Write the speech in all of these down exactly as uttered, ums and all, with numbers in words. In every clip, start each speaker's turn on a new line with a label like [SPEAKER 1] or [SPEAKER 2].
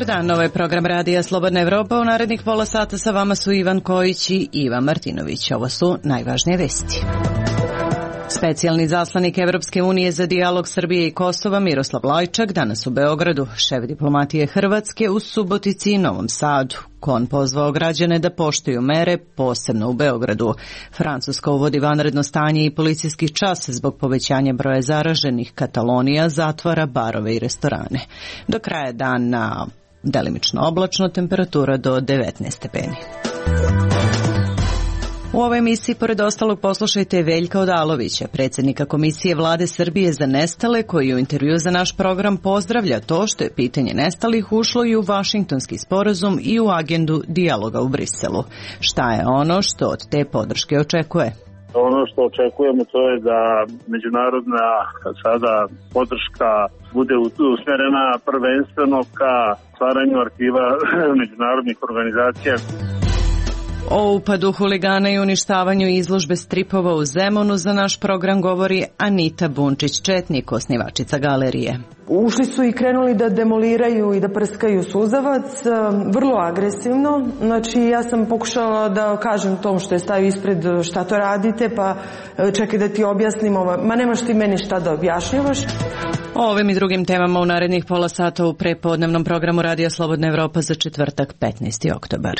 [SPEAKER 1] Dobar dan, ovo je program Radija Slobodna Evropa. U narednih pola sata sa vama su Ivan Kojić i Ivan Martinović. Ovo su najvažnije vesti. Specijalni zaslanik Evropske unije za dijalog Srbije i Kosova Miroslav Lajčak danas u Beogradu, šef diplomatije Hrvatske u Subotici i Novom Sadu. On pozvao građane da poštuju mere, posebno u Beogradu. Francuska uvodi vanredno stanje i policijski čas zbog povećanja broja zaraženih. Katalonija zatvara barove i restorane. Do kraja dana delimično oblačno, temperatura do devetnaest stepeni. U ovoj emisiji, pored ostalog, poslušajte Veljka Odalovića, predsjednika Komisije Vlade Srbije za nestale, koji u intervju za naš program pozdravlja to što je pitanje nestalih ušlo i u Vašingtonski sporazum i u agendu dijaloga u Briselu. Šta je ono što od te podrške očekuje?
[SPEAKER 2] Ono što očekujemo to je da međunarodna sada podrška bude usmjerena prvenstveno ka stvaranju arhiva međunarodnih organizacija.
[SPEAKER 1] O upadu huligana i uništavanju izložbe stripova u Zemunu za naš program govori Anita Bunčić-Četnik, osnivačica galerije.
[SPEAKER 3] Ušli su i krenuli da demoliraju i da prskaju suzavac, vrlo agresivno. Znači, ja sam pokušala da kažem tom što je stavio ispred šta to radite, pa čekaj da ti objasnim ovo. Ma nemaš ti meni šta da objašnjavaš.
[SPEAKER 1] O ovim i drugim temama u narednih pola sata u prepodnevnom programu Radija Slobodna Evropa za četvrtak petnaesti oktobar.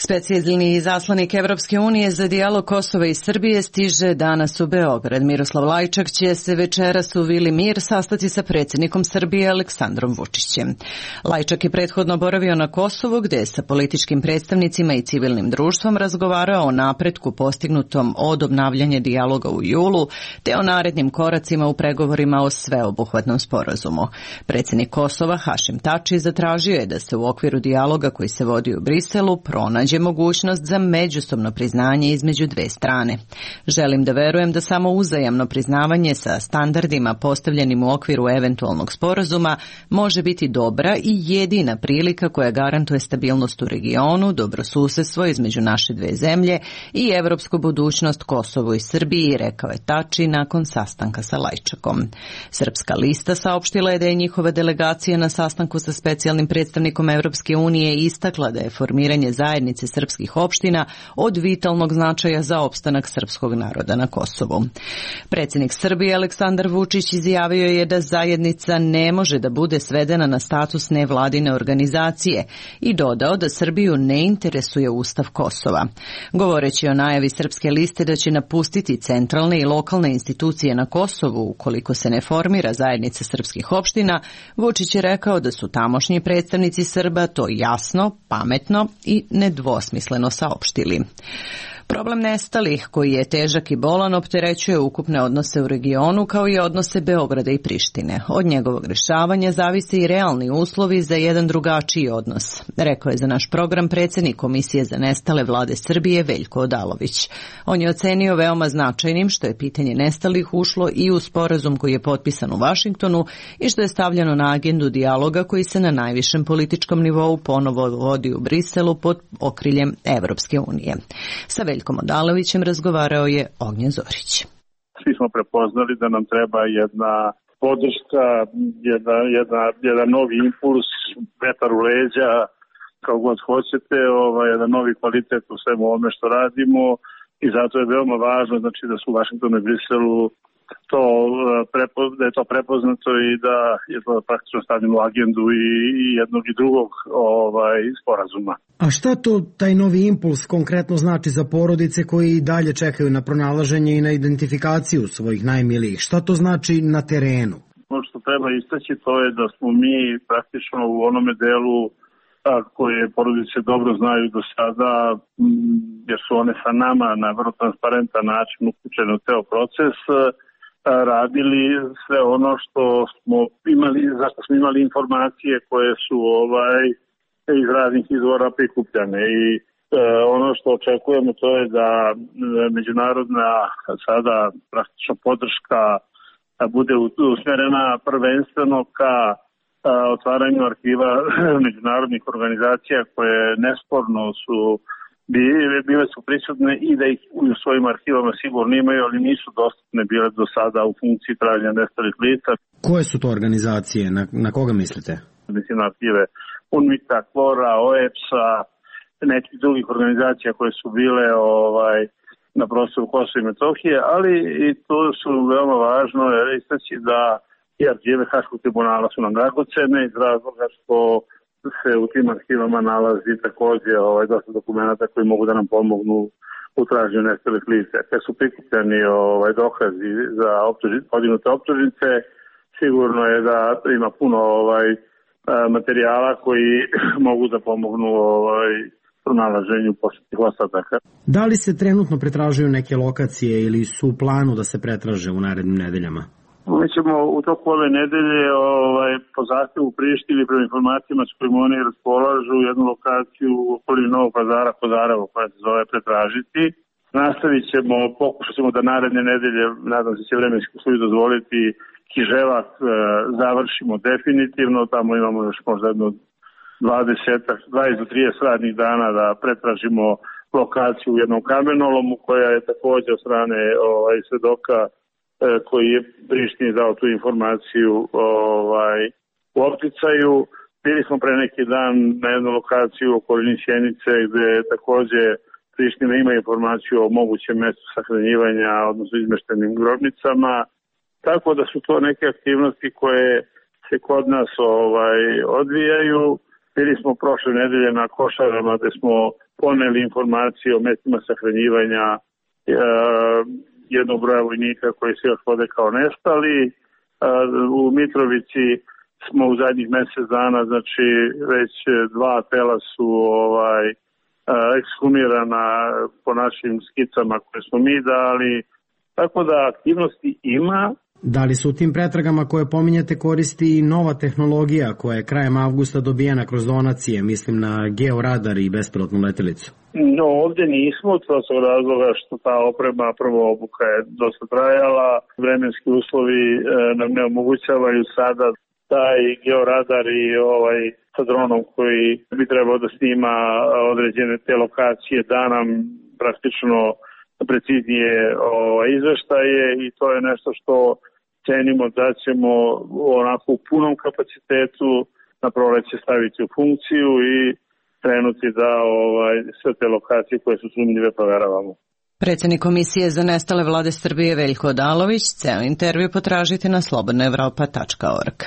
[SPEAKER 1] Specijalni zaslanik Evropske unije za dijalog Kosova i Srbije stiže danas u Beograd. Miroslav Lajčak će se večeras u Vili Mir sastati sa predsjednikom Srbije Aleksandrom Vučićem. Lajčak je prethodno boravio na Kosovu, gdje je sa političkim predstavnicima i civilnim društvom razgovarao o napretku postignutom od obnavljanja dijaloga u julu, te o narednim koracima u pregovorima o sveobuhvatnom sporazumu. Predsjednik Kosova Hašim Tači zatražio je da se u okviru dijaloga koji se vodi u Briselu pronađe mogućnost za međusobno priznanje između dve strane. Želim da verujem da samo uzajamno priznavanje sa standardima postavljenim u okviru eventualnog sporazuma može biti dobra i jedina prilika koja garantuje stabilnost u regionu, dobrosusjedstvo između naše dve zemlje i evropsku budućnost Kosovu i Srbiji, rekao je Tači nakon sastanka sa Lajčakom. Srpska lista saopštila je da je njihova delegacija na sastanku sa specijalnim predstavnikom Evropske unije istakla da je formiranje zajednice srpskih opština od vitalnog značaja za opstanak srpskog naroda na Kosovu. Predsjednik Srbije Aleksandar Vučić izjavio je da zajednica ne može da bude svedena na status nevladine organizacije i dodao da Srbiju ne interesuje Ustav Kosova. Govoreći o najavi Srpske liste da će napustiti centralne i lokalne institucije na Kosovu ukoliko se ne formira zajednica srpskih opština, Vučić je rekao da su tamošnji predstavnici Srba to jasno, pametno i nedvosmisleno saopštili. Problem nestalih, koji je težak i bolan, opterećuje ukupne odnose u regionu kao i odnose Beograda i Prištine. Od njegovog rješavanja zavise i realni uslovi za jedan drugačiji odnos, rekao je za naš program predsjednik Komisije za nestale Vlade Srbije Veljko Odalović. On je ocenio veoma značajnim što je pitanje nestalih ušlo i u sporazum koji je potpisan u Vašingtonu i što je stavljeno na agendu dijaloga koji se na najvišem političkom nivou ponovo vodi u Briselu pod okriljem Evropske unije. Sa Veljkom Odalovićem razgovarao je Ognjen Zorić.
[SPEAKER 2] Svi smo prepoznali da nam treba jedna podrška, jedna, jedna, jedan novi impuls, vetar u leđa, kao god hoćete, ovaj, jedan novi kvalitet u svemu ovome što radimo i zato je veoma važno znači, da su u Vašingtonu i Briselu to, da je to prepoznato i da je to praktično stavljeno u agendu i, i jednog i drugog ovaj, sporazuma.
[SPEAKER 4] A šta to taj novi impuls konkretno znači za porodice koji i dalje čekaju na pronalaženje i na identifikaciju svojih najmilijih? Šta to znači na terenu?
[SPEAKER 2] Ono što treba istaći to je da smo mi praktično u onome delu a, koje porodice dobro znaju do sada, m, jer su one sa nama na vrlo transparentan način uključene u ceo proces, radili sve ono što smo imali, zašto smo imali informacije koje su ovaj iz raznih izvora prikupljane i e, ono što očekujemo to je da međunarodna sada praktično podrška bude usmjerena prvenstveno ka a, otvaranju arhiva međunarodnih organizacija koje nesporno su bile su prisutne i da ih u svojim arhivama sigurno imaju, ali nisu dostupne bile do sada u funkciji traženja nestalih lica.
[SPEAKER 4] Koje su to organizacije? Na, na koga mislite?
[SPEAKER 2] Mislim na arhive UNMIK-a, KFOR-a, O E P S-a, nekih drugih organizacija koje su bile ovaj, na prostoru Kosova i Metohije, ali i to su veoma važno istaći da i arhive Haškog tribunala su nam dragocene iz razloga što se u tim arhivama nalazi također ovaj, dosta dokumenta koji mogu da nam pomognu u traženju nestalih lica. Kad su prikupljeni ovaj, dokazi za optužnice, podignute optužnice, sigurno je da ima puno ovaj, materijala koji mogu da pomognu ovaj, pronalaženju posljednjih ostataka.
[SPEAKER 4] Da li se trenutno pretražuju neke lokacije ili su u planu da se pretraže u narednim nedeljama?
[SPEAKER 2] Mi ćemo u toku ove nedelje ovaj, po zahtevu Prištini prema informacijama s kojima oni raspolažu jednu lokaciju u okolini Novog Pazara, Kozaravo, koja se zove pretražiti. Nastavit ćemo, pokušat ćemo da naredne nedelje, nadam se će vremenski uslovi dozvoliti, Kiževak e, završimo definitivno. Tamo imamo još možda jedno dvadeset do trideset radnih dana da pretražimo lokaciju u jednom kamenolomu koja je također od strane ovaj, svedoka koji je Prištini dao tu informaciju ovaj, u opticaju. Bili smo pre neki dan na jednu lokaciju u okolini Sjenice gde također Priština ima informaciju o mogućem mjestu sahranjivanja, odnosno izmeštenim grobnicama. Tako da su to neke aktivnosti koje se kod nas ovaj, odvijaju. Bili smo prošle nedelje na Košarama gde smo poneli informacije o mjestima sahranjivanja e, jednog broja vojnika koji se još vode kao nestali. U Mitrovici smo u zadnjih mjesec dana, znači već dva tela su ovaj, ekshumirana po našim skicama koje smo mi dali. Tako da aktivnosti ima.
[SPEAKER 4] Da li su u tim pretragama koje pominjate koristi i nova tehnologija koja je krajem avgusta dobijena kroz donacije, mislim na georadar i bespilotnu letelicu?
[SPEAKER 2] No, ovdje nismo, to su razloga što ta oprema, prvo obuka je dosta trajala, vremenski uslovi e, nam ne omogućavaju sada taj georadar i ovaj sa dronom koji bi trebao da snima određene te lokacije da nam praktično preciznije ovaj, izveštaje i to je nešto što cenimo da ćemo onako u punom kapacitetu na proleće staviti u funkciju i krenuti da ovaj, sve te lokacije koje su sumnjive proveravamo.
[SPEAKER 1] Predsjednik Komisije za nestale vlade Srbije Veljko Odalović, ceo intervju potražite na slobodna evropa tačka org.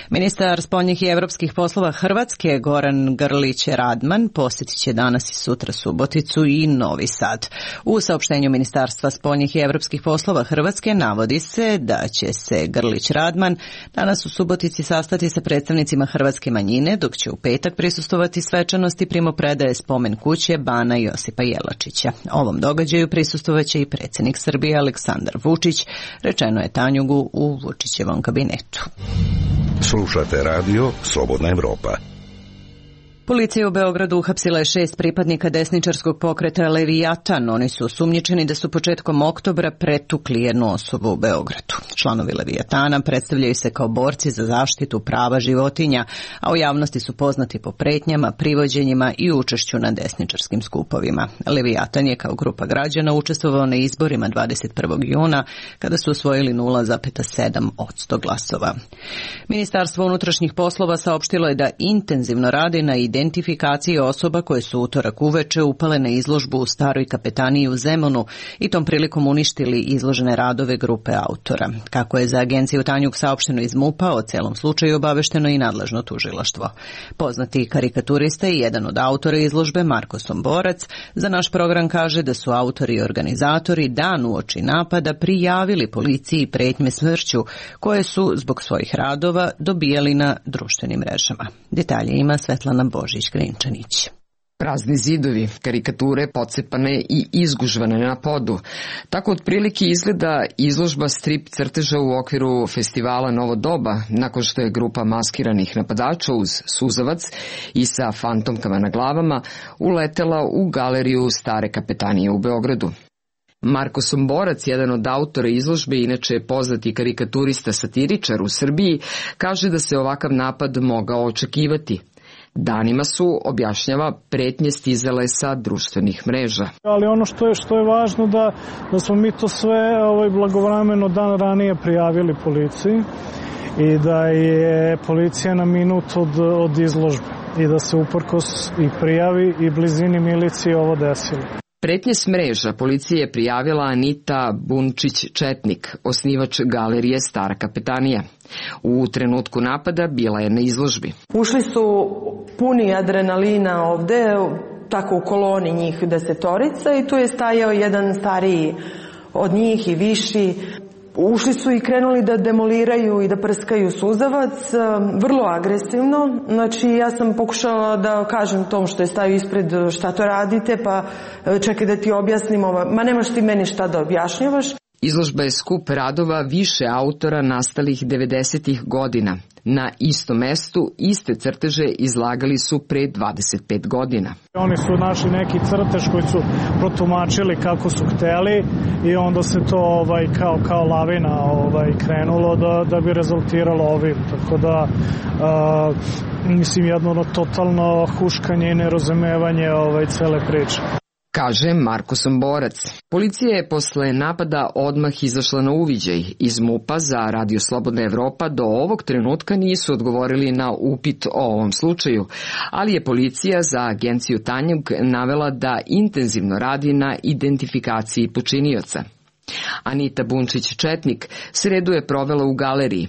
[SPEAKER 1] Ministar spoljnih i evropskih poslova Hrvatske Goran Grlić Radman posjetit će danas i sutra Suboticu i Novi Sad. U saopštenju Ministarstva spoljnih i evropskih poslova Hrvatske navodi se da će se Grlić Radman danas u Subotici sastati sa predstavnicima hrvatske manjine, dok će u petak prisustvovati svečanosti primopredaje spomen kuće Bana Josipa Jelačića. Ovom događaju prisustovaće i predsjednik Srbije Aleksandar Vučić, rečeno je Tanjugu u Vučićevom kabinetu.
[SPEAKER 5] Slušate radio Slobodna Evropa.
[SPEAKER 1] Policija u Beogradu uhapsila je šest pripadnika desničarskog pokreta Levijatan. Oni su osumnjičeni da su početkom oktobra pretukli jednu osobu u Beogradu. Članovi Levijatana predstavljaju se kao borci za zaštitu prava životinja, a u javnosti su poznati po pretnjama, privođenjima i učešću na desničarskim skupovima. Levijatan je kao grupa građana učestvovao na izborima dvadeset prvog juna kada su osvojili nula zarez sedam posto glasova. Ministarstvo unutrašnjih poslova saopštilo je da intenzivno radi na identifikaciji osoba koje su utorak uveče upale na izložbu u Staroj kapetaniji u Zemunu i tom prilikom uništili izložene radove grupe autora. Kako je za agenciju Tanjug saopšteno iz MUP-a, o celom slučaju obavešteno i nadležno tužilaštvo. Poznati karikaturista i jedan od autora izložbe, Marko Somborac, za naš program kaže da su autori i organizatori dan uoči napada prijavili policiji pretnje smrću koje su zbog svojih radova dobijali na društvenim mrežama. Detalje ima Svetlana Božić-Grinčanić.
[SPEAKER 6] Prazni zidovi, karikature pocepane i izgužvane na podu. Tako otprilike izgleda izložba strip crteža u okviru festivala Novo doba, nakon što je grupa maskiranih napadača uz suzavac i sa fantomkama na glavama uletela u galeriju Stare kapetanije u Beogradu. Marko Somborac, jedan od autora izložbe, inače je poznati karikaturista satiričar u Srbiji, kaže da se ovakav napad mogao očekivati. Danima su, objašnjava, pretnje stizale sa društvenih mreža.
[SPEAKER 7] Ali ono što je, što je važno da, da smo mi to sve ovaj, blagovremeno dan ranije prijavili policiji i da je policija na minut od, od izložbe i da se uprkos i prijavi i blizini milicije ovo desilo.
[SPEAKER 6] Pretnje s mreža policije je prijavila Anita Bunčić-Četnik, osnivač galerije Stara kapetanija. U trenutku napada bila je na izložbi.
[SPEAKER 3] Ušli su puni adrenalina ovde, tako u koloni njih desetorica i tu je stajao jedan stariji od njih i viši. Ušli su i krenuli da demoliraju i da prskaju suzavac, vrlo agresivno. Znači ja sam pokušala da kažem tom što je stajao ispred šta to radite, pa čekaj da ti objasnim ovo. Ma nemaš ti meni šta da objašnjavaš.
[SPEAKER 6] Izložba je skup radova više autora nastalih devedesetih godina. Na istom mestu iste crteže izlagali su pre dvadeset pet godina.
[SPEAKER 7] Oni su našli neki crtež koji su protumačili kako su hteli i onda se to ovaj, kao, kao lavina ovaj, krenulo da, da bi rezultiralo ovim. Tako da, a, mislim, jedno totalno huškanje i nerazumevanje ovaj, cele priče.
[SPEAKER 6] Kaže Marko Somborac. Policija je posle napada odmah izašla na uviđaj. Iz MUP-a za Radio Slobodna Evropa do ovog trenutka nisu odgovorili na upit o ovom slučaju, ali je policija za agenciju Tanjug navela da intenzivno radi na identifikaciji počinioca. Anita Bunčić-Četnik sredu je provela u galeriji.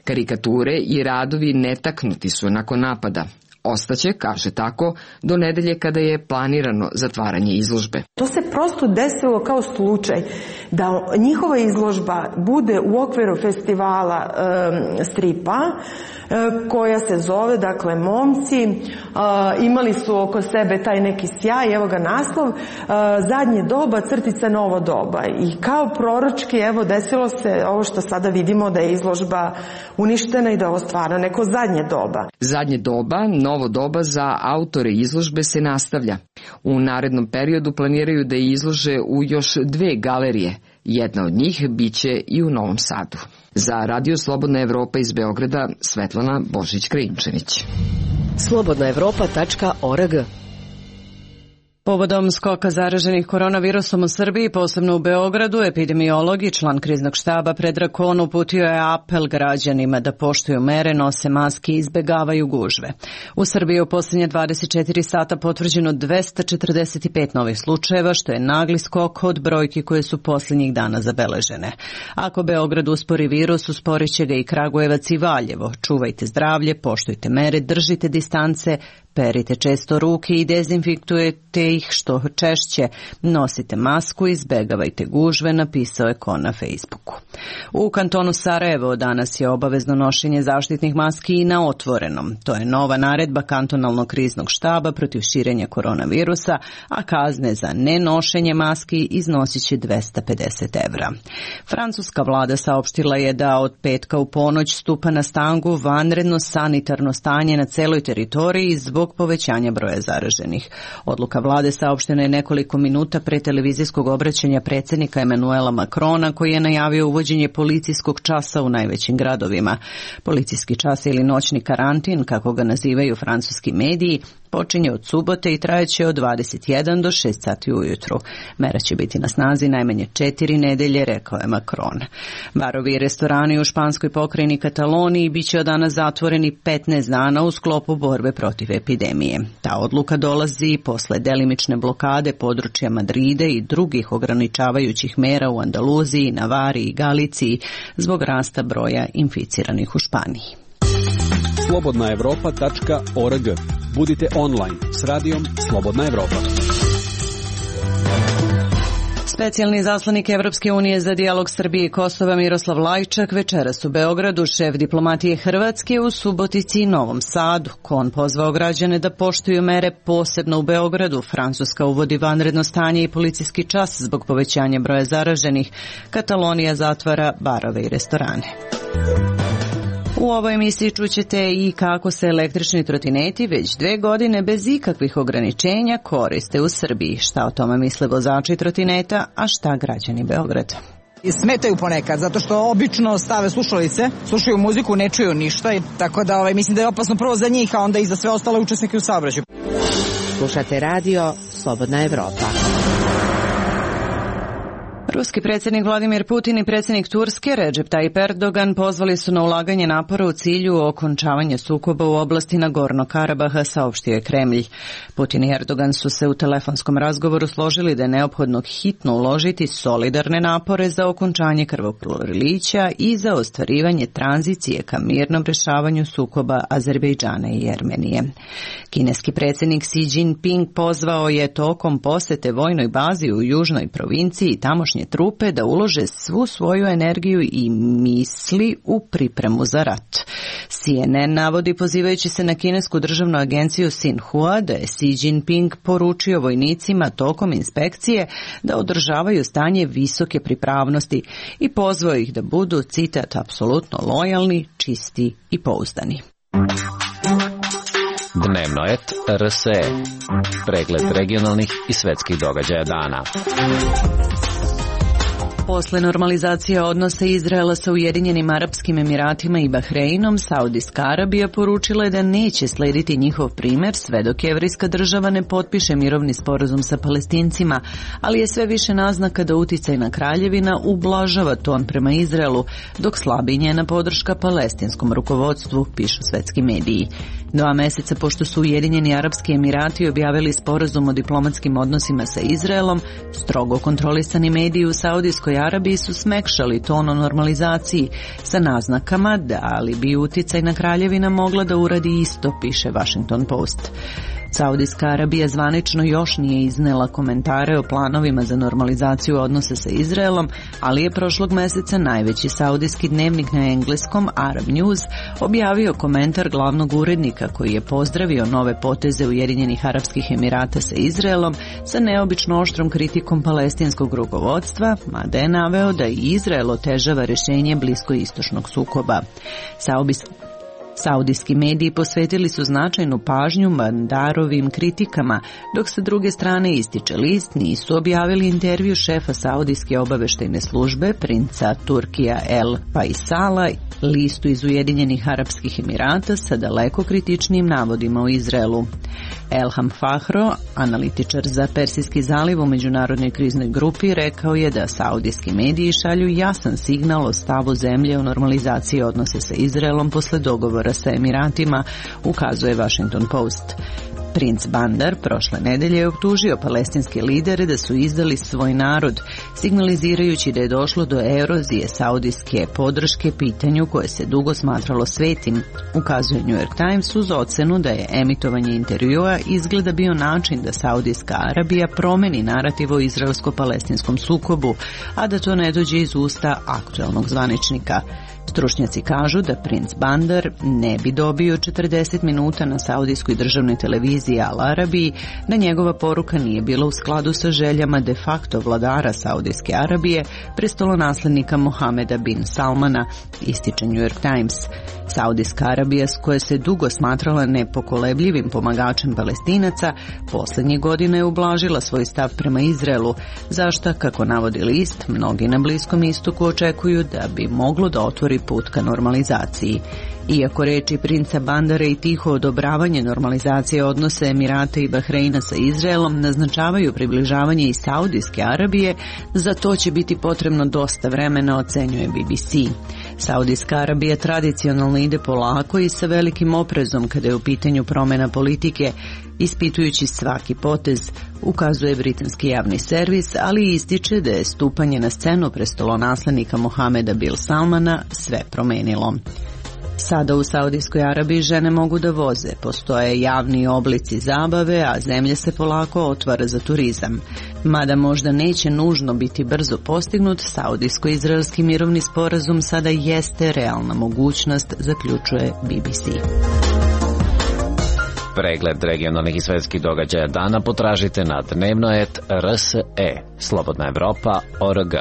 [SPEAKER 6] Karikature i radovi netaknuti su nakon napada. Ostaće, kaže tako, do nedelje kada je planirano zatvaranje izložbe.
[SPEAKER 3] To se prosto desilo kao slučaj da njihova izložba bude u okviru festivala e, stripa e, koja se zove, dakle, Momci. E, imali su oko sebe taj neki sjaj, evo ga naslov, e, zadnje doba, crtica novo doba. I kao proročki, evo, desilo se ovo što sada vidimo da je izložba uništena i da je ovo stvarno neko zadnje doba.
[SPEAKER 6] Zadnje doba, novo doba za autore izložbe se nastavlja. U narednom periodu planiraju da je izlože u još dve galerije. Jedna od njih biće i u Novom Sadu. Za Radio Slobodna Evropa iz Beograda, Svetlana Božić-Krinčanić.
[SPEAKER 8] slobodna evropa tačka org.
[SPEAKER 1] Povodom skoka zaraženih koronavirusom u Srbiji, posebno u Beogradu, epidemiolog i član kriznog štaba Predrag Kon uputio je apel građanima da poštuju mere, nose maske i izbegavaju gužve. U Srbiji je u posljednje dvadeset četiri sata potvrđeno dvesta četrdeset pet novih slučajeva, što je nagli skok od brojki koje su posljednjih dana zabeležene. Ako Beograd uspori virus, usporit će ga i Kragujevac i Valjevo. Čuvajte zdravlje, poštujte mere, držite distance, perite često ruke i dezinfiktujete ih što češće. Nosite masku i izbegavajte gužve, napisao je Kon na Facebooku. U kantonu Sarajevo danas je obavezno nošenje zaštitnih maski i na otvorenom. To je nova naredba kantonalnog kriznog štaba protiv širenja koronavirusa, a kazne za nenošenje maski iznosit će dvesta pedeset evra. Francuska vlada saopštila je da od petka u ponoć stupa na snagu vanredno sanitarno stanje na celoj teritoriji zbog povećanja broja zaraženih. Odluka vlade saopštena je nekoliko minuta pre televizijskog obraćanja predsjednika Emanuela Makrona, koji je najavio uvođenje policijskog časa u najvećim gradovima. Policijski čas ili noćni karantin, kako ga nazivaju francuski mediji, počinje od subote i trajeće od dvadeset jedan do šest sati ujutru. Mera će biti na snazi najmanje četiri nedelje, rekao je Macron. Barovi i restorani u španskoj pokrajini Kataloniji bit će od danas zatvoreni petnaest dana u sklopu borbe protiv epidemije. Ta odluka dolazi posle delimične blokade područja Madrida i drugih ograničavajućih mera u Andaluziji, Navari i Galiciji zbog rasta broja inficiranih u Španiji.
[SPEAKER 9] slobodna evropa tačka org. Budite online s radijom Slobodna Evropa.
[SPEAKER 1] Specijalni zaslanik Evropske unije za dijalog Srbije i Kosova Miroslav Lajčak večeras u Beogradu, šef diplomatije Hrvatske u Subotici i Novom Sadu. Kon pozvao građane da poštuju mere, posebno u Beogradu. Francuska uvodi vanredno stanje i policijski čas zbog povećanja broja zaraženih. Katalonija zatvara barove i restorane. U ovoj emisiji čućete i kako se električni trotineti već dve godine bez ikakvih ograničenja koriste u Srbiji. Šta o tome misle vozači trotineta, a šta građani Beograda?
[SPEAKER 10] Smetaju ponekad, zato što obično stave slušalice, slušaju muziku, ne čuju ništa, i tako da ovaj, mislim da je opasno prvo za njih, a onda i za sve ostale učesnike u saobraćaju.
[SPEAKER 8] Slušate radio Slobodna Evropa.
[SPEAKER 1] Ruski predsjednik Vladimir Putin i predsjednik Turske Recep Tayyip Erdogan pozvali su na ulaganje napora u cilju okončavanja sukoba u oblasti Nagorno Karabaha, saopštio je Kremlj. Putin i Erdogan su se u telefonskom razgovoru složili da je neophodno hitno uložiti solidarne napore za okončanje krvoprolića i za ostvarivanje tranzicije ka mirnom rešavanju sukoba Azerbejdžana i Jermenije. Kineski predsjednik Xi Jinping pozvao je tokom posete vojnoj bazi u južnoj provinciji tamošnje trupe da ulože svu svoju energiju i misli u pripremu za rat. C N N navodi, pozivajući se na kinesku državnu agenciju Xinhua, da je Xi Jinping poručio vojnicima tokom inspekcije da održavaju stanje visoke pripravnosti i pozvao ih da budu, citat, apsolutno lojalni, čisti i pouzdani.
[SPEAKER 11] Dnevno et R S E. Pregled regionalnih i svetskih događaja dana.
[SPEAKER 1] Posle normalizacije odnosa Izraela sa Ujedinjenim Arapskim Emiratima i Bahreinom, Saudijska Arabija poručila je da neće slediti njihov primer sve dok Jevrejska država ne potpiše mirovni sporazum sa Palestincima, ali je sve više naznaka da uticajna kraljevina ublažava ton prema Izraelu, dok slabi njena podrška palestinskom rukovodstvu, pišu svetski mediji. Dva meseca pošto su Ujedinjeni Arapski Emirati objavili sporazum o diplomatskim odnosima sa Izraelom, strogo kontrolisani mediji u Saudijskoj Arabiji su smekšali ton o normalizaciji sa naznakama da li bi uticajna kraljevina mogla da uradi isto, piše Washington Post. Saudijska Arabija zvanično još nije iznela komentare o planovima za normalizaciju odnosa sa Izraelom, ali je prošlog meseca najveći saudijski dnevnik na engleskom Arab News objavio komentar glavnog urednika koji je pozdravio nove poteze Ujedinjenih Arapskih Emirata sa Izraelom sa neobično oštrom kritikom palestinskog rukovodstva, mada je naveo da i Izrael otežava rešenje bliskoistočnog sukoba. Saudijski Saudijski mediji posvetili su značajnu pažnju Bandarovim kritikama, dok sa druge strane, ističe list, nisu objavili intervju šefa Saudijske obaveštajne službe, princa Turkija El Faisala, listu iz Ujedinjenih Arapskih Emirata sa daleko kritičnim navodima o Izraelu. Elham Fahro, analitičar za Persijski zaliv u međunarodnoj kriznoj grupi, rekao je da saudijski mediji šalju jasan signal o stavu zemlje u normalizaciji odnose sa Izraelom posle dogovora sa Emiratima, ukazuje Washington Post. Princ Bandar prošle nedelje je optužio palestinske lidere da su izdali svoj narod, signalizirajući da je došlo do erozije saudijske podrške pitanju koje se dugo smatralo svetim, ukazuje New York Times uz ocenu da je emitovanje intervjua izgleda bio način da Saudijska Arabija promeni narativ o izraelsko-palestinskom sukobu, a da to ne dođe iz usta aktuelnog zvaničnika. Stručnjaci kažu da princ Bandar ne bi dobio četrdeset minuta na saudijskoj državnoj televiziji Al Arabiji da njegova poruka nije bila u skladu sa željama de facto vladara Saudijske Arabije, prestolonaslednika Mohameda bin Salmana, ističe New York Times. Saudijska Arabija, s koje se dugo smatrala nepokolebljivim pomagačem Palestinaca, poslednjih godina je ublažila svoj stav prema Izraelu, zašta, kako navodi list, mnogi na Bliskom istoku očekuju da bi moglo da otvori put ka normalizaciji. Iako reči princa Bandara i tiho odobravanje normalizacije odnose Emirata i Bahreina sa Izraelom naznačavaju približavanje i Saudijske Arabije, za to će biti potrebno dosta vremena, ocenjuje B B C. Saudijska Arabija tradicionalno ide polako i sa velikim oprezom kada je u pitanju promjena politike, ispitujući svaki potez, ukazuje britanski javni servis, ali ističe da je stupanje na scenu prestolonaslednika Mohameda bin Salmana sve promenilo. Sada u Saudijskoj Arabiji žene mogu da voze, postoje javni oblici zabave, a zemlja se polako otvara za turizam. Mada možda neće nužno biti brzo postignut, saudijsko-izraelski mirovni sporazum sada jeste realna mogućnost, zaključuje B B C.
[SPEAKER 11] Pregled regionalnih i svetskih događaja dana potražite na dnevno et R S E, Slobodna Evropa, O R G.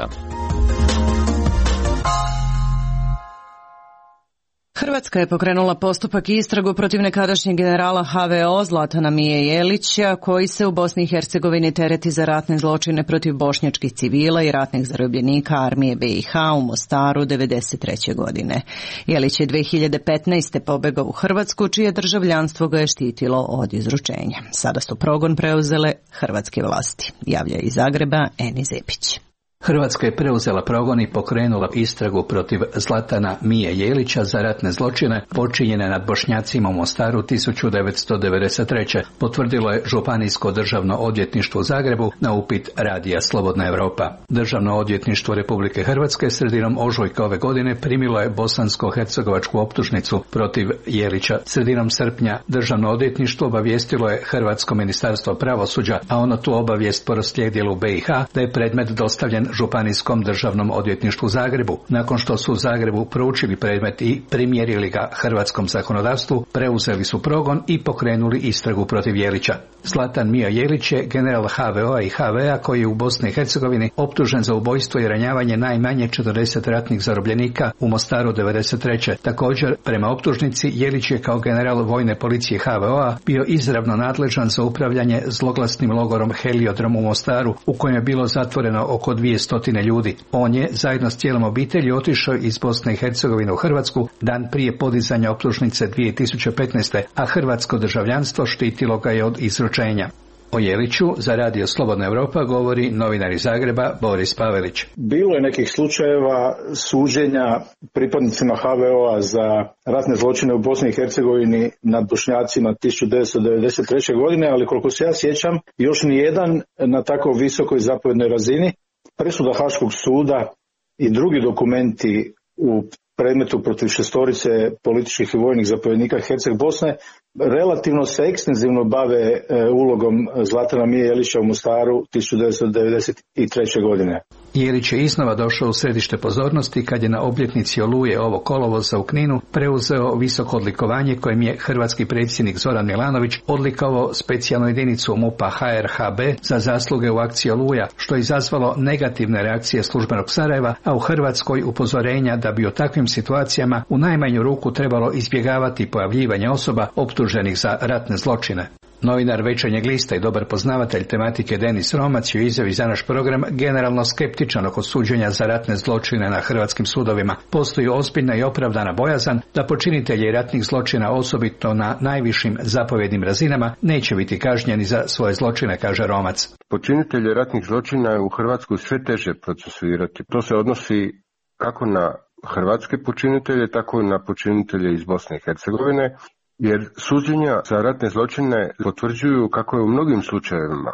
[SPEAKER 1] Hrvatska je pokrenula postupak i istragu protiv nekadašnjeg generala ha ve o Zlatana Mije Jelića, koji se u Bosni i Hercegovini tereti za ratne zločine protiv bošnjačkih civila i ratnih zarobljenika armije be i ha u Mostaru devedeset treće godine. Jelić je dve hiljade petnaeste. pobegao u Hrvatsku, čije državljanstvo ga je štitilo od izručenja. Sada su progon preuzele hrvatske vlasti. Javlja iz Zagreba Eni Zepić.
[SPEAKER 12] Hrvatska je preuzela progon i pokrenula istragu protiv Zlatana Mije Jelića za ratne zločine počinjene nad Bošnjacima u Mostaru tisuću devetsto devedeset treće. Potvrdilo je Županijsko državno odvjetništvo u Zagrebu na upit radija Slobodna Evropa. Državno odvjetništvo Republike Hrvatske sredinom ožujka ove godine primilo je bosansko-hercegovačku optužnicu protiv Jelića. Sredinom srpnja Državno odvjetništvo obavijestilo je Hrvatsko ministarstvo pravosuđa, a ono tu obavijest proslijedilo u be i ha da je predmet dostavljen Županijskom državnom odvjetništvu u Zagrebu. Nakon što su u Zagrebu proučili predmet i primjerili ga hrvatskom zakonodavstvu, preuzeli su progon i pokrenuli istragu protiv Jelića. Zlatan Mija Jelić je general ha ve o i ha ve a koji je u Bosni i Hercegovini optužen za ubojstvo i ranjavanje najmanje četrdeset ratnih zarobljenika u Mostaru devedeset treće. Također, prema optužnici, Jelić je kao general vojne policije ha ve o bio izravno nadležan za upravljanje zloglasnim logorom Heliodrom u Mostaru, u kojem je bilo zatvoreno oko dvije stotine ljudi. On je zajedno s cijelom obitelji otišao iz Bosne i Hercegovine u Hrvatsku dan prije podizanja optužnice dvije tisuće petnaeste. a hrvatsko državljanstvo štitilo ga je od izručenja. O Jeliću za radio Slobodna Evropa govori novinar iz Zagreba Boris Pavelić.
[SPEAKER 13] Bilo je nekih slučajeva suđenja pripadnicima ha ve o za ratne zločine u Bosni i Hercegovini nad Bošnjacima tisuću devetsto devedeset treće. godine, ali koliko se ja sjećam, još nijedan na tako visokoj zapovjednoj razini. Presuda Haškog suda i drugi dokumenti u predmetu protiv šestorice političkih i vojnih zapovjednika Herceg Bosne relativno se ekstenzivno bave e, ulogom Zlatana Mije Jelića u Mostaru tisuću devetsto devedeset treće. godine.
[SPEAKER 12] Jelić je iznova došao u središte pozornosti kad je na obljetnici Oluje ovog kolovoza u Kninu preuzeo visoko odlikovanje kojim je hrvatski predsjednik Zoran Milanović odlikovao specijalnu jedinicu MUP-a ha er ha be za zasluge u akciji Oluja, što je izazvalo negativne reakcije službenog Sarajeva, a u Hrvatskoj upozorenja da bi u takvim situacijama u najmanju ruku trebalo izbjegavati pojavljivanje osoba optuženih za ratne zločine. Novinar Večernjeg lista i dobar poznavatelj tematike Denis Romac je u izjavi za naš program generalno skeptičan oko suđenja za ratne zločine na hrvatskim sudovima. Postoji ozbiljna i opravdana bojazan da počinitelji ratnih zločina, osobito na najvišim zapovjednim razinama, neće biti kažnjeni za svoje zločine, kaže Romac.
[SPEAKER 14] Počinitelje ratnih zločina je u Hrvatskoj sve teže procesuirati. To se odnosi kako na hrvatske počinitelje, tako i na počinitelje iz Bosne i Hercegovine, jer suđenja za ratne zločine potvrđuju kako je u mnogim slučajevima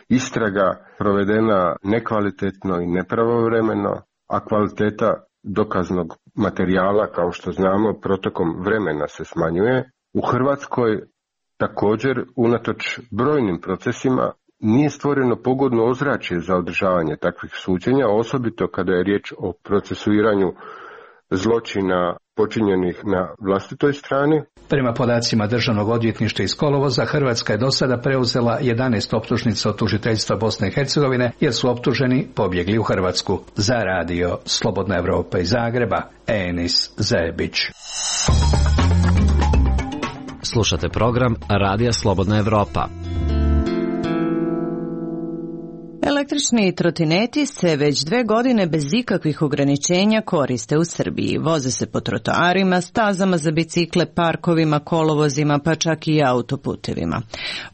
[SPEAKER 14] istraga provedena nekvalitetno i nepravovremeno, a kvaliteta dokaznog materijala, kao što znamo, protokom vremena se smanjuje. U Hrvatskoj također, unatoč brojnim procesima, nije stvoreno pogodno ozračje za održavanje takvih suđenja, osobito kada je riječ o procesuiranju zločina počinjenih na vlastitoj strani.
[SPEAKER 12] Prema podacima Državnog odvjetništva iz kolovoza, Hrvatska je do sada preuzela jedanaest optužnica od tužiteljstva Bosne i Hercegovine, jer su optuženi pobjegli u Hrvatsku. Za radio Slobodna Evropa iz Zagreba, Enis Zebić.
[SPEAKER 11] Slušate program Radija Slobodna Evropa.
[SPEAKER 1] Električni trotineti se već dve godine bez ikakvih ograničenja koriste u Srbiji. Voze se po trotoarima, stazama za bicikle, parkovima, kolovozima, pa čak i autoputevima.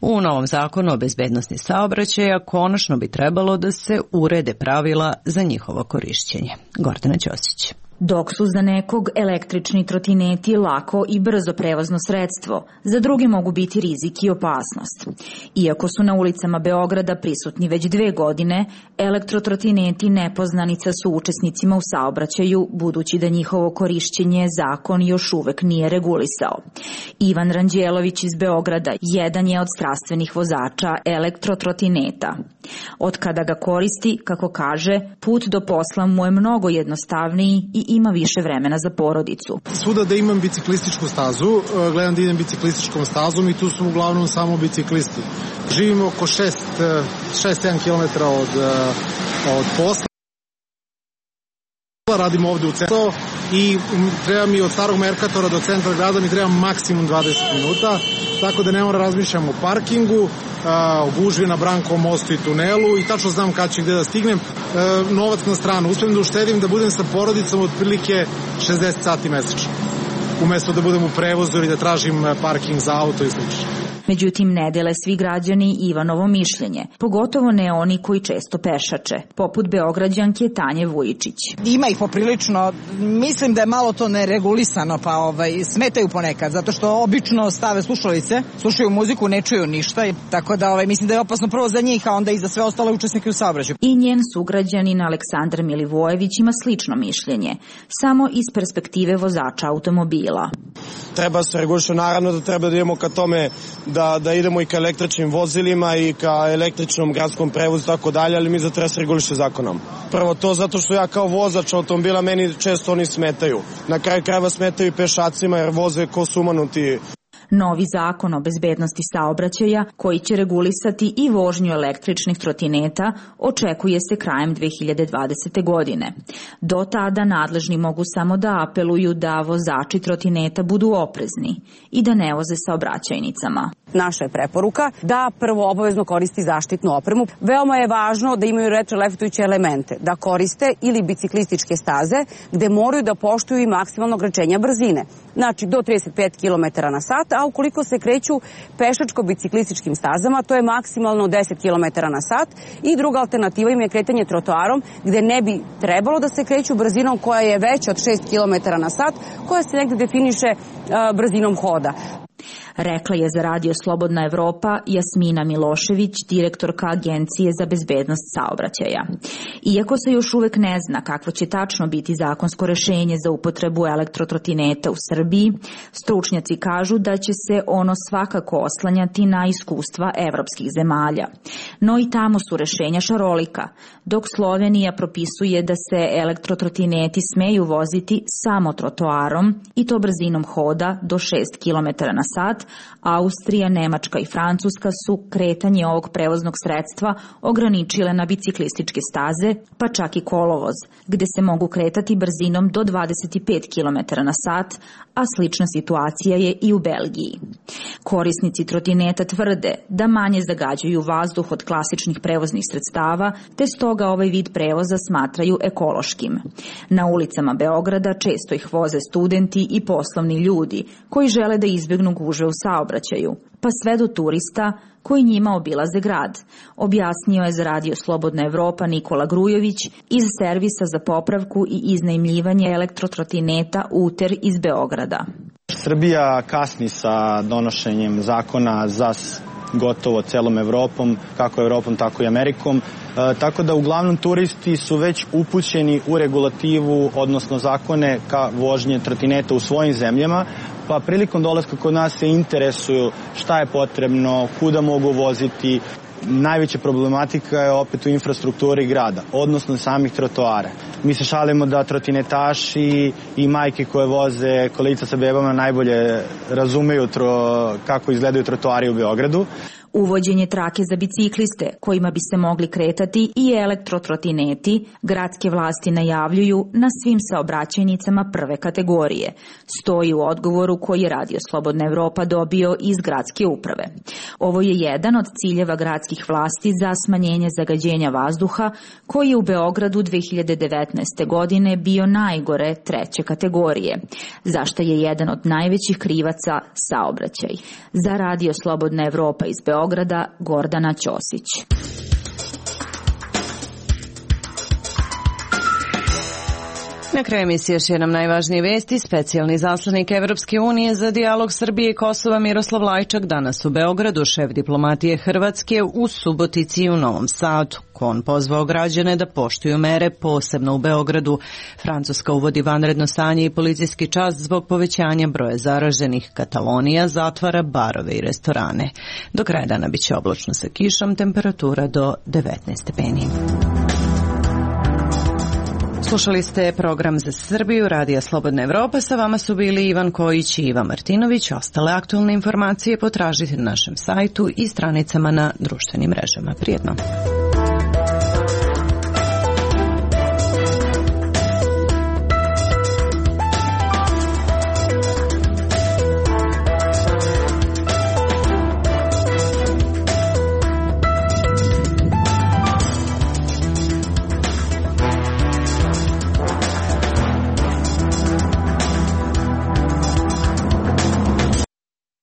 [SPEAKER 1] U novom zakonu o bezbednosti saobraćaja konačno bi trebalo da se urede pravila za njihovo korišćenje. Gordana Ćosić.
[SPEAKER 15] Dok su za nekog električni trotineti lako i brzo prevozno sredstvo, za druge mogu biti rizik i opasnost. Iako su na ulicama Beograda prisutni već dve godine, elektrotrotineti nepoznanica su učesnicima u saobraćaju, budući da njihovo korišćenje zakon još uvek nije regulisao. Ivan Ranđelović iz Beograda jedan je od strastvenih vozača elektrotrotineta. Od kada ga koristi, kako kaže, put do posla mu je mnogo jednostavniji i ima više vremena za porodicu.
[SPEAKER 16] Svuda da imam biciklističku stazu, gledam da idem biciklističkom stazom i tu su uglavnom samo biciklisti. Živimo oko šest sedam kilometara od, od posla posla, radim ovde u centru i treba mi od starog Merkatora do centra grada mi treba maksimum dvadeset minuta, tako da ne moram razmišljam o parkingu, o gužvi na Brankovom mostu i tunelu i tačno znam kad ću gde da stignem. Novac na stranu, uspijem da uštedim da budem sa porodicom otprilike šezdeset sati mesečno, umesto da budem u prevozu ili da tražim parking za auto i slično.
[SPEAKER 15] Međutim, ne dele svi građani Ivanovo mišljenje, pogotovo ne oni koji često pešače, poput Beograđanke Tanje Vujičić.
[SPEAKER 10] Ima ih poprilično, mislim da je malo to neregulisano, pa ovaj, smetaju ponekad, zato što obično stave slušalice, slušaju muziku, ne čuju ništa, tako da ovaj, mislim da je opasno prvo za njih, a onda i za sve ostale učesnike u saobraćaju.
[SPEAKER 15] I njen sugrađanin Aleksandar Milivojević ima slično mišljenje, samo iz perspektive vozača automobila.
[SPEAKER 17] Treba se reguliše, naravno da treba da idemo ka tome da, da idemo i ka električnim vozilima i ka električnom gradskom prevozu i tako dalje, ali mi za treba se reguliše zakonom. Prvo to zato što ja kao vozač automobila meni često oni smetaju. Na kraju krajeva smetaju i pešacima jer voze ko sumanuti.
[SPEAKER 15] Novi zakon o bezbednosti saobraćaja, koji će regulisati i vožnju električnih trotineta, očekuje se krajem dve hiljade dvadesete. godine. Do tada nadležni mogu samo da apeluju da vozači trotineta budu oprezni i da ne voze saobraćajnicama.
[SPEAKER 18] Naša je preporuka da prvo obavezno koristi zaštitnu opremu. Veoma je važno da imaju retroreflektujuće elemente, da koriste ili biciklističke staze gde moraju da poštuju i maksimalno ograničenja brzine. Znači do trideset pet kilometara na sat, a ukoliko se kreću pešačko-biciklističkim stazama, to je maksimalno deset kilometara na sat i druga alternativa im je kretanje trotoarom gde ne bi trebalo da se kreću brzinom koja je veća od šest kilometara na sat, koja se negde definiše a, brzinom hoda.
[SPEAKER 15] Rekla je za Radio Slobodna Evropa Jasmina Milošević, direktorka Agencije za bezbednost saobraćaja. Iako se još uvek ne zna kakvo će tačno biti zakonsko rešenje za upotrebu elektrotrotineta u Srbiji, stručnjaci kažu da će se ono svakako oslanjati na iskustva evropskih zemalja. No i tamo su rešenja šarolika, dok Slovenija propisuje da se elektrotrotineti smeju voziti samo trotoarom i to brzinom hoda do šest kilometara na sat, Austrija, Nemačka i Francuska su kretanje ovog prevoznog sredstva ograničile na biciklističke staze, pa čak i kolovoz, gde se mogu kretati brzinom do dvadeset pet kilometara na sat, a slična situacija je i u Belgiji. Korisnici trotineta tvrde da manje zagađuju vazduh od klasičnih prevoznih sredstava, te stoga ovaj vid prevoza smatraju ekološkim. Na ulicama Beograda često ih voze studenti i poslovni ljudi koji žele da izbjegnu gužve u saobraćaju, pa sve do turista koji njima obilaze grad, objasnio je za Radio Slobodna Evropa Nikola Grujović iz servisa za popravku i iznajmljivanje elektrotrotineta Uter iz Beograda.
[SPEAKER 19] Srbija kasni sa donošenjem zakona za gotovo celom Evropom, kako Evropom, tako i Amerikom. E, tako da uglavnom turisti su već upućeni u regulativu, odnosno zakone ka vožnje trotineta u svojim zemljama, pa prilikom dolaska kod nas se interesuju šta je potrebno, kuda mogu voziti. Najveća problematika je opet u infrastrukturi grada, odnosno samih trotoara. Mi se šalimo da trotinetaši i majke koje voze kolica sa bebama najbolje razumeju tro, kako izgledaju trotoari u Beogradu.
[SPEAKER 15] Uvođenje trake za bicikliste kojima bi se mogli kretati i elektrotrotineti gradske vlasti najavljuju na svim saobraćajnicama prve kategorije. Stoji u odgovoru koji je Radio Slobodna Evropa dobio iz gradske uprave. Ovo je jedan od ciljeva gradskih vlasti za smanjenje zagađenja vazduha koji je u Beogradu dve hiljade devetnaeste. godine bio najgore treće kategorije, za što je jedan od najvećih krivaca saobraćaj. Za Radio Slobodna Evropa iz Beograda Beograda, Gordana Ćosić.
[SPEAKER 1] Na kraju emisije još jednom najvažnije vesti. Specijalni zaslanik Evropske unije za dijalog Srbije i Kosova Miroslav Lajčak danas u Beogradu, šef diplomatije Hrvatske u Subotici i u Novom Sadu. On pozvao građane da poštuju mere, posebno u Beogradu. Francuska uvodi vanredno stanje i policijski čas zbog povećanja broja zaraženih. Katalonija zatvara barove i restorane. Do kraja dana biće oblačno sa kišom, temperatura do devetnaest stepeni. Slušali ste program za Srbiju, Radija Slobodna Evropa. Sa vama su bili Ivan Kojić i Iva Martinović. Ostale aktualne informacije potražite na našem sajtu i stranicama na društvenim mrežama. Prijetno.